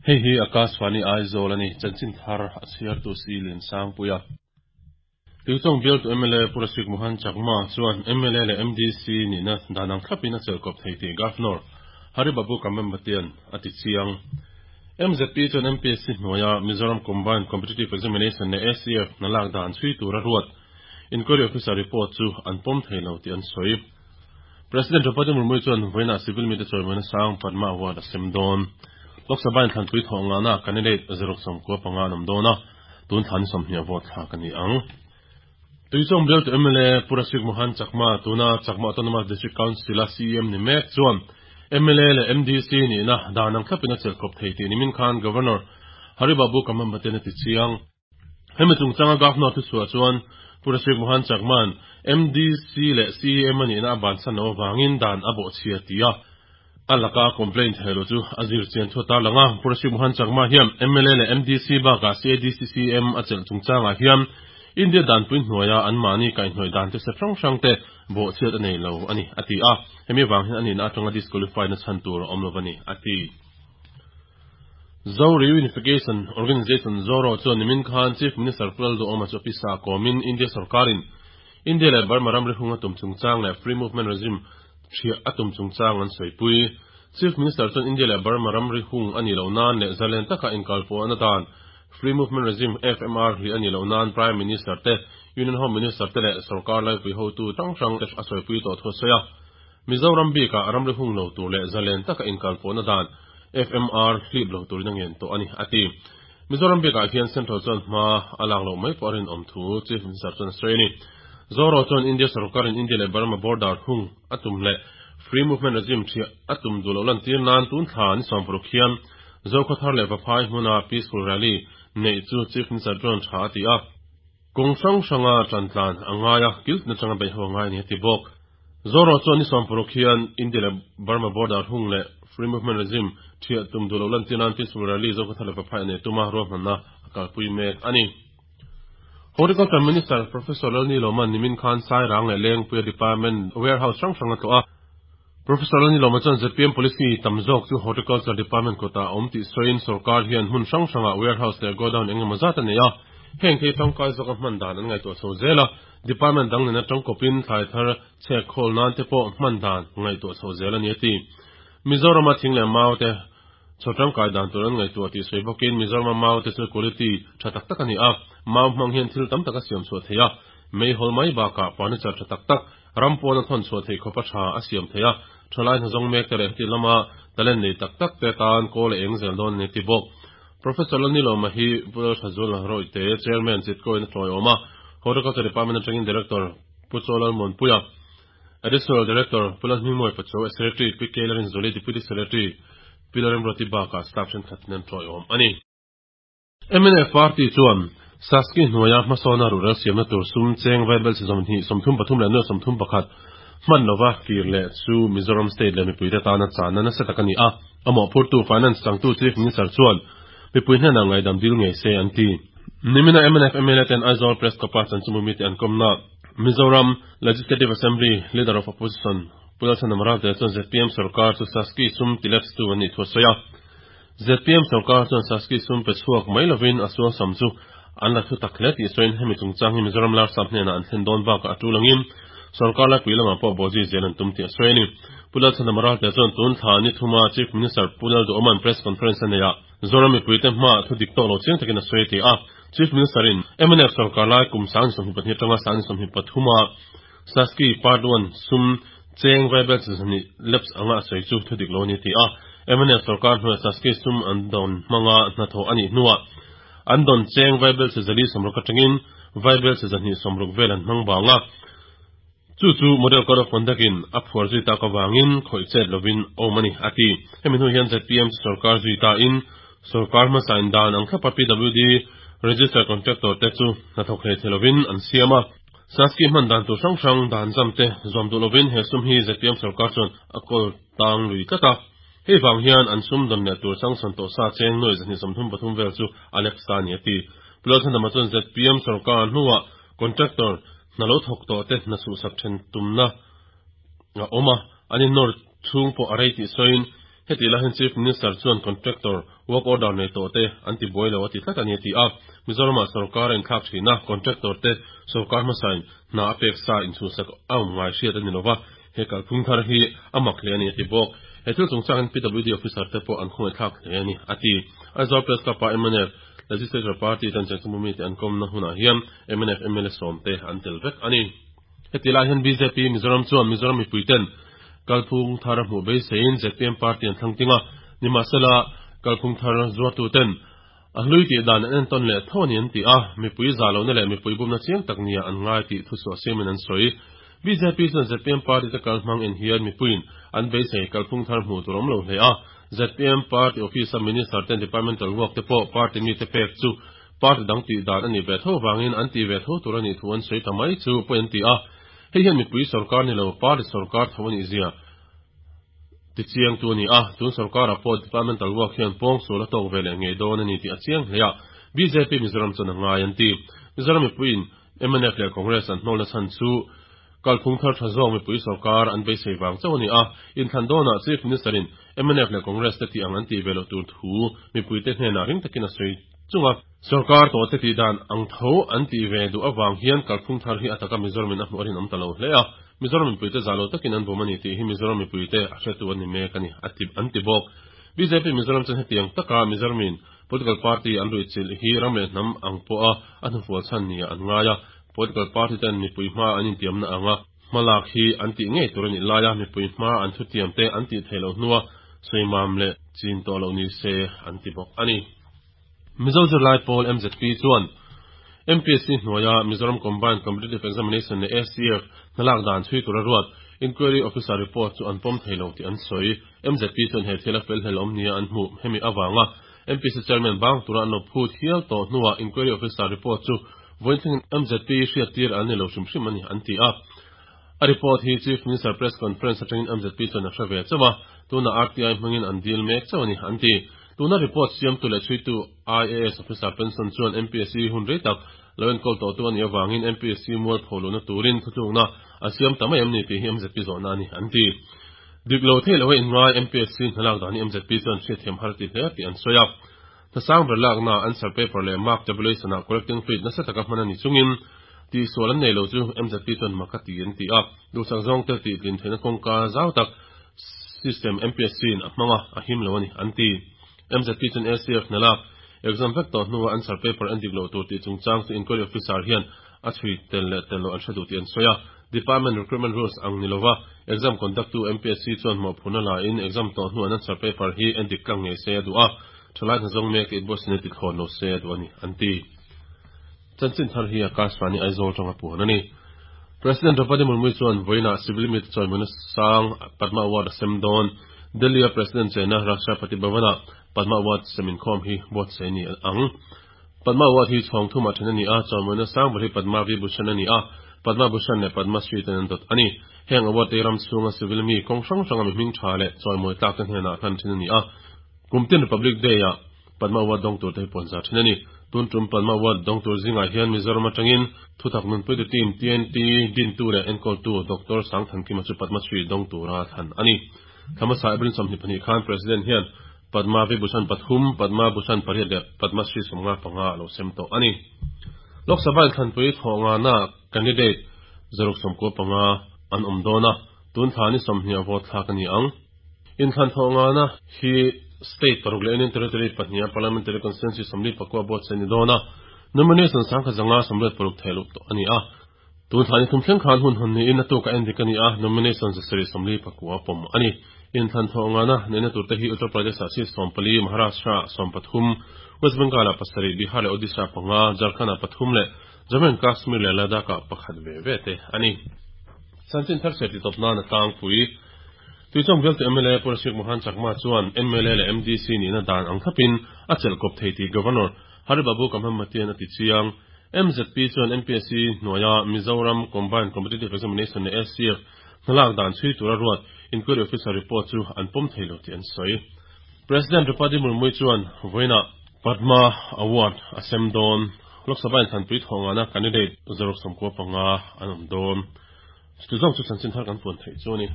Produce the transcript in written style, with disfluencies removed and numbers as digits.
Hei hi Akashvani Aizawl a ni, chanchin thar a chhiartu si Liansangpuia. Tuichawng bialtu mla Pu Rasik Mohan Chakma chuan mla leh MDC nihna dan ang thlapin a chelhkawp thei tih Governor Hari Babu Kamembatian a ti chiang. MZP chuan MPSC hnuaia Mizoram Combined Competitive Examination leh ACF hna lak dan chhui tura ruat Inquiry Officer report chu an pawm thei lo tih an sawi. President Draupadi Murmu chuan vawiinah civil mite chawimawina sang Padma Award a sem dawn. Lok Sabha inthlanpui thawh ngahna candidate 095 an awm dawn a, tun thlan 20 vote thlak a ni ang. Tuichawng bialtu mla Pu Rasik Mohan Chakma, tuna Chakma Autonomous District Council-a CEM ni mek chuan mla leh MDC nihna dan ang thlapin a chelhkawp thei tih nimin khan Governor Hari Babu Kamambaten a ti chiang. Hemi chungchanga Governor thuchhuah chuan Pu Rasik Mohan Chakma'n MDC leh CEM a nihna a bansan loh avangin dan a bawhchhia ti a, a laka complaint thei lo chu a zir chian thu a tarlang a. Pu Rasik Mohan Chakma hian mla leh MDC bakah CADC CEM a chelh chungchangah hian India danpui hnuaia anmahni kaihhnawih dan te step hrang hrang te bawhchhiat a nei lo a ni, a ti a. Hemi vang hian a nihna atanga disqualify na chhan tur a awm lo a ni, a ti. Zo Reunification Organisation, ZORO, chuan nimin khan Chief Minister Pu Lalduhawma chu a pisa kawmin India sorkarin India leh Burma ramri hung a tum chungchang leh Free Movement Regime ṭhiah a tum chungchang an sawipui. Chief Minister chuan India leh Burma ramri hung a nih loh nan leh zalen taka inkalpawhna dan Free Movement Regime, FMR, hlih a nih loh nan Prime Minister te, Union Home Minister te leh sorkar laipui hotu hrang hrang te a sawipui tawh thu a sawi a. Mizoram bikah ramri hung lo tur leh zalen taka inkalpawhna dan FMR hlip lo turin a ngen tawh a ni, a ti. Mizoram bikah hian Central chuan hma a lak loh mai pawh a rinawm thu Chief Minister chuan a sawi a ni. Zoro chuan India sorkarin India leh Burma border hung a tum leh Free Movement Regime ṭhiah a tum duh loh lantir nan tun thla ni 60 hian Zokhawthar leh Vaphai hmuna Peaceful Rally neih chu Chief Minister chuan ṭha a ti a. Kawng hrang hranga ṭan tlan a ngai a, kiltna changa beih ho a ngai a ni, a ti bawk. Zoro chuan ni 60 hian India leh Burma border hung leh Free Movement Regime ṭhiah tum duh loh lantir nan Peaceful Rally Zokhawthar leh Vaphai a nei tum a, ruahmanna a kalpui mek a ni. Horticulture Minister Professor Lalni Lawman nimin khan Sairang leh Lengpuia Department Warehouse hrang hrang a tlawh a. Professor Lalni Lawma chuan zpm policy tam zawk chu Horticulture Department kawtah a awm tih sawiin sorkar hian hmun hrang hrangah warehouse leh godown eng emaw zat a nei a, heng thei tangkai zawka hman dan an ngaihtuah chho zel a, department dang nena tangkawpin thlai thar chhek khawl nan te pawh hman dan ngaihtuah chho zel a ni a ti. Mizorama thing leh mau te chho tangkai dan tur an ngaihtuah tih sawi bawkin Mizorama mau te chu quality tha tak tak a ni a, mau hmang hian thil tam tak a siam chhuah thei a, meihawl mai bakah furniture tha tak tak, Ram pawn a thawn chhuah theih khawpa tha a siam thei a, thalai hnazawng mek te leh heti lama talent nei tak tak te tan kawl a eng zel dawn a ni ti bawk. Professor Lalnilawma hi Pu Lalthazual Rawihte, Chairman, Chitkawiin a tlawihawm a, Horticulture Department atangin Director Pu Chaw Lalmuanpuia, Additional Director Pu Lalhmingmawi Pacho, Secretary Pi K Larinzuli, Deputy Secretary Pi Lalremruati bakah staff thenkhat nen tlawihawm a ni. Mnf party chuan Saski hnuaia hmasawna rural siamna tur sum cheng vaibel chi 23 leh 31 hman lova kir leh chu Mizoram state leh mipuite tana channa nasa tak a ni a, a mawhphurtu Finance changtu Chief Minister chuan mipui hnenah ngaidam dil ngei se an ti. Nimina mnf mla ten Aizawl Press Club-a chanchinbu mite an kawmna Mizoram Legislative Assembly Leader of Opposition Pu Lalchhanam Ralte chuan zpm sorkar chu Saski sum tilepstu an nih thu a sawi a. Zpm sorkar chuan Saski sum pe chhuak mai lovin a sualsam chu an la thu tak hle tih sawiin hemi chungchang hi Mizoram Larsap hnenah an thlen dawn bakah a tul angin sorkar laipui lamah pawh bawhzui zel an tum tih a sawi a ni. Pu Lalchhanam Ralte chuan tun thla ni thuma Chief Minister Pu Lalduhawma'n press conference a neih ah Zoram mipuite hmaah thu dik tawk lo chiang takin a sawi a ti a. Chief Minister in mnf sorkar lai kum 2022 atanga 2023 a Saski Part One sum cheng vaibel chi zahnih lapse anga a sawi chu thu dik lo a ni ti a. Mnf sorkar hnuaia Saski sum an dawn hmanga hnathawh a nih hnuah an dawn cheng vaibel chi 460 atangin vaibel chi 160 vel an hmang vang a. Chu chu Model Code of Conduct in a phuar zui tak avangin khawih chet lovin awm a ni, a ti. Hemi hnu hian zpm chu sorkar zui tain sorkar hmasa in dan ang thlapa PWD Register Contractor te chu hnathawk hlei thei lovin an siam a. Saski hman dan tur hrang hrang dan zam te zawm duh lovin he sum hi zpm sorkar chuan a kawl tang lui tlat a. Hei vang hian an sum dawn leh tur changsawn tawh sa cheng nuai 233 vel chu a lep sa a ni a ti. Pu Lalchhandama chuan zpm sorkar hnuah contractor hna lo thawk tawh te hna chhuhsak then tumna a awm a, an innawr chhung pawh a rei tih sawiin Heti lai hian Chief Minister chuan contractor work order nei tawh te an ti buai lo a ti tlat a ni a ti a. Mizoramah sorkar a inthlak thin a, contractor te sorkar hmasain hna a pek sa inchhuhsak a awm ngai hriat a ni lova, he kalphung thar hi a mak hle a ni a ti bawk. He thil chungchangin PWD officer te pawh an khawngaihthlak hle a ni a ti. Aizawl Press Club ah mnf Legislature Party ten Chengchungbu mite an kawmna hunah hian mnf mla sawmte an tel vek a ni. Heti lai hian bjp Mizoram chuan Mizoram mipuiten kalphung thar hmuh beiseiin zpm party an thlang ting a, nimahsela kalphung thar zuartuten a hlui tih dan an entawn leh tho a ni an ti a, mipui zah lohna leh mipui bumna chiang tak nia an ngai tih thuchhuah siamin an sawi. Bjp chuan zpm party te kal hmang en hian mipuiin an beisei kalphung thar hmuh tur awm lo hle a, zpm party office a minister ten departmental work te pawh party mite pek chu Party dang tih dan a nih ve tho vangin an tih ve tho tur a nih thu an sawi ta mai chu pawi an ti a. Hei hian mipui sorkar ni lo, party sorkar tho a nih zia ti chiang tu a ni a. Tun sorkarah pawh departmental work hian pawng sual a tawk ve leh ngei dawn a ni tih a chiang hle a. Bjp Mizoram chuan a ngai an ti. Mizoram mipuiin mnf leh Congress an hnawlna chhan chu Kalphung thar tha zawk mipui sorkar an beisei vang chauh a ni a, inthlan dawnah Chief Minister-in mnf leh Congress te tih ang an tih ve loh tur thu mipuite hnenah ring takin a sawi chung a. Sorkar tawhte tih dan ang tho an tih ve duh avang hian kalphung thar hi a taka Mizoramin a hmuh a rinawm ta lo hle a, Mizoram mipuite zah lo takin an bum a ni tih hi Mizoram mipuite a hretu an ni mek a ni, a ti an ti bawk. Bjp Mizoram chuan hetiang taka Mizoramin political party an ruihchilh hi ram leh hnam ang pawha a hnufual chhan nia an ngai a, Political party ten mipui hma an intiamna anga hmalak hi an tih ngei tur a nih laia mipui hma an thutiam te an tih theih loh hnua sawimam leh chin tawh loh ni se an ti bawk a ni. Mizo zirlai pawl MZP chuan MPSC hnuaia Mizoram Combined Competitive Examination leh ACF hnalak dan chhui tura ruat Inquiry Officer report chu an pawm thei lo tih an sawi. MZP chuan he thil a fel hlel awm nia an hmuh hemi avanga MPSC Chairman bang tura an lo phut hial tawh hnuah Inquiry Officer report chu Vawiin MZP hriattir an ni lo hrim hrim a ni, an ti a. A report hi Chief Minister Press Conference atangin MZP chuan a hre ve chauh a, tunah RTI hmangin an dil mek chauh a ni, an ti. Tuna report siamtu leh chhuitu IAS Officer pension chuan MPSC hun rei tak lo enkawl tawhtu a nih avangin MPSC mualpho luhna turin thutlukna a siam ta mai em ni tih hi MZP zawhna a ni, an ti. Dik lo theih loha inngai MPSC hnalak dan hi MZP chuan hriatthiam har ti hle tih an sawi a. Hna ber lakna answer paper leh mark tabulation ah correcting fluid nasa taka hman a ni chungin tihsual an nei lo chu MZP chuan mak a ti an ti a. Duhsak zawng te tih tlin theihna kawngka zau tak system MPSC in a hmang a, a him lo a ni an ti. MZP chuan ACF hna lak exam vek tawh hnua answer paper en dik loh tur tih chungchang chu inquiry officer hian a chhui tel leh tel loh an hre duh tih an sawi a. Department recruitment rules ang ni lova exam conduct tu MPSC chuan mawhphurhna la in exam tawh hnuah an answer paper hi en dik tlang ngei se a duh a. Thalai hna zawng mek it Bosnia ti thlawn lo se a duh a ni, an ti. Chanchin thar hi Akashvani Aizawl tanga puan a ni. President Draupadi Murmu chuan vawiinah civil mite chawimawina sang Padma Award a sem dawn. Delhi-a President chena Rashtrapati Bhavan-ah Padma Award sem inkhawm hi buatsaih a ni ang. Padma Award hi chhawng thumah then a ni a, chawimawina sang ber hi Padma Vibhushan a ni a, Padma Bhushan leh Padma Shri ten an dawt a ni. Heng award te hi ram chhunga civil mi kawng hrang hranga mi hming tha leh chawimawi tlak te hnenah hlan thin a ni a. Kum tin Republic Day-ah Padma Award dawng tur te hi puan zar thin a ni. Tun tum Padma Award dawng tur zingah hian Mizoram atangin thutak nunpuitu team TNT dintu leh enkawltu Doctor Sangthankima chu Padma Shri dawng tura thlan a ni. Thla hmasa April 22 khan President hian Padma Vibhushan pathum, Padma Bhushan pariat leh Padma Shri 55 a lo sem tawh a ni. Lok Sabha inthlanpui thawh ngana candidate 195 an awm dawn a, tun thla ni 20 a vote thlak a ni ang. Inthlan thawh ngana hi state paruk leh Union Territory pahniha Parliamentary Constituency 44 buatsaih a ni dawn a, nomination 1186 theih luh tawh a ni a. Tun thla ni thum thleng khan hun hawn niin a tuka endik a ni a, nomination 749 pawm a ni. Inthlan thawh ngana neihna turte hi Uttar Pradesh-ah seat 14, Maharashtra-ah 13, West Bengal-ah pasarih, Bihar leh Odisha-ah panga, Jharkhand-ah pathum leh Jammu and Kashmir leh Ladakh-ah pakhat ve ve te a ni. Chanchin thar chhiat titawp nan a tlangpui. Tuichawng bialtu mla Pu Rashik Mohan Chakma chuan mla leh MDC nihna dan ang thlapin a chelh kawp thei tih Governor Hari Babu Kamhammatian a ti chiang. MZP chuan MPSC hnuaia Mizoram Combined Competitive Examination leh ACF hnalak dan chhui tura ruat Inquiry Officer report chu an pawm thei lo tih an sawi. President Draupadi Murmu chuan vawiinah Padma Award a sem dawn. Lok Sabha inthlanpui thawh ngana candidate 195 an awm dawn. Chutizawng chu chanchin thar kan puan theih chu a ni.